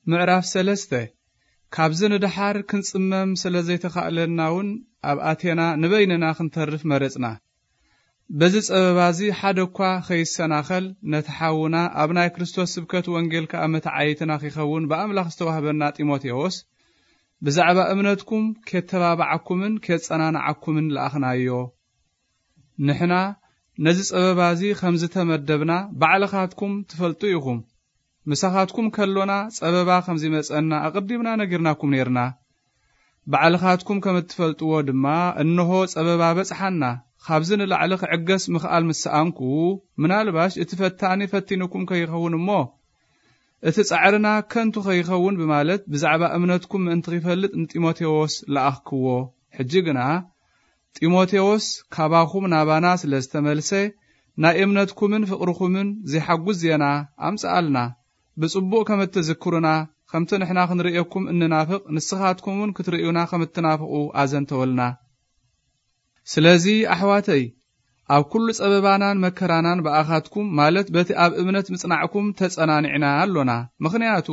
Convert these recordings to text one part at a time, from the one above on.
ምዕራፍ ሰለስተ። ካብዚ ንደሓር ክንጽመም ስለ ዘይተኻእለና እውን ኣብ ኣቴና ንበይንና ክንተርፍ መረጽና። በዚ ጸበባዚ ሓደ እኳ ኸይሰናኸል፣ ነቲ ሓውና ኣብ ናይ ክርስቶስ ስብከት ወንጌል ከኣ መተዓይትና ኺኸውን ብኣምላኽ ዝተዋህበና ጢሞቴዎስ፣ ብዛዕባ እምነትኩም ኬተባብዓኩምን ኬጸናንዓኩምን ለኣኽናዮ። ንሕና ነዚ ጸበባዚ ከም ዝተመደብና ባዕልኻትኩም ትፈልጡ ኢኹም። ምሳኻትኩም ከሎና ጸበባ ከም ዚመጸና ኣቐዲምና ነጊርናኩም ኔርና። ባዕልኻትኩም ከም እትፈልጥዎ ድማ፣ እንሆ ጸበባ በጽሓና። ካብዚ ንላዕሊ ክዕገስ ምኽኣል ምስ ሰኣንኩ፣ ምናልባሽ እቲ ፈታኒ ፈቲኑኩም ከይኸውን እሞ፣ እቲ ጻዕርና ከንቱ ከይኸውን ብማለት ብዛዕባ እምነትኩም ምእንቲ ኺፈልጥ ንጢሞቴዎስ ለኣኽክዎ። ሕጂ ግና ጢሞቴዎስ ካባኹም ናባና ስለ ዝተመልሰ፣ ናይ እምነትኩምን ፍቕርኹምን ዚሓጉስ ዜና ኣምጽኣልና። ብጽቡቕ ከም እትዝክሩና፣ ከምቲ ንሕና ክንርእየኩም እንናፍቕ፣ ንስኻትኩም እውን ክትርእዩና ከም እትናፍቑ ኣዘንተወልና። ስለዚ ኣሕዋተይ፣ ኣብ ኩሉ ጸበባናን መከራናን ብኣኻትኩም፣ ማለት በቲ ኣብ እምነት ምጽናዕኩም ተጸናኒዕና ኣሎና። ምኽንያቱ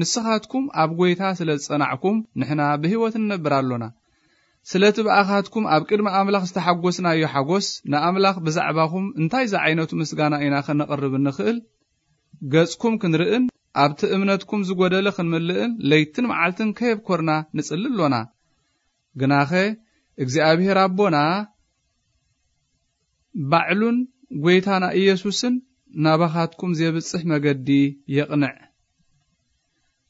ንስኻትኩም ኣብ ጐይታ ስለ ዝጸናዕኩም፣ ንሕና ብህይወት ንነብር ኣሎና። ስለቲ ብኣኻትኩም ኣብ ቅድሚ ኣምላኽ ዝተሓጐስናዮ ሓጐስ፣ ንኣምላኽ ብዛዕባኹም እንታይ ዝዓይነቱ ምስጋና ኢና ከነቕርብ እንኽእል? ገጽኩም ክንርእን ኣብቲ እምነትኩም ዝጐደለ ክንምልእን ለይትን መዓልትን ከየብኮርና ንጽሊ ኣሎና። ግናኸ እግዚኣብሄር ኣቦና ባዕሉን ጐይታና ኢየሱስን ናባኻትኩም ዜብጽሕ መገዲ የቕንዕ።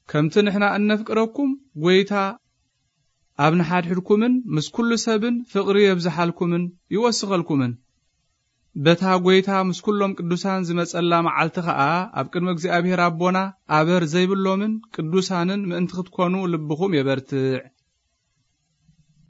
ከምቲ ንሕና እነፍቅረኩም፣ ጐይታ ኣብ ንሓድሕድኩምን ምስ ኩሉ ሰብን ፍቕሪ የብዝሓልኩምን ይወስኸልኩምን። በታ ጐይታ ምስ ኩሎም ቅዱሳን ዝመጸላ መዓልቲ ኸኣ ኣብ ቅድሚ እግዚኣብሔር ኣቦና ኣበር ዘይብሎምን ቅዱሳንን ምእንቲ ክትኮኑ ልብኹም የበርትዕ።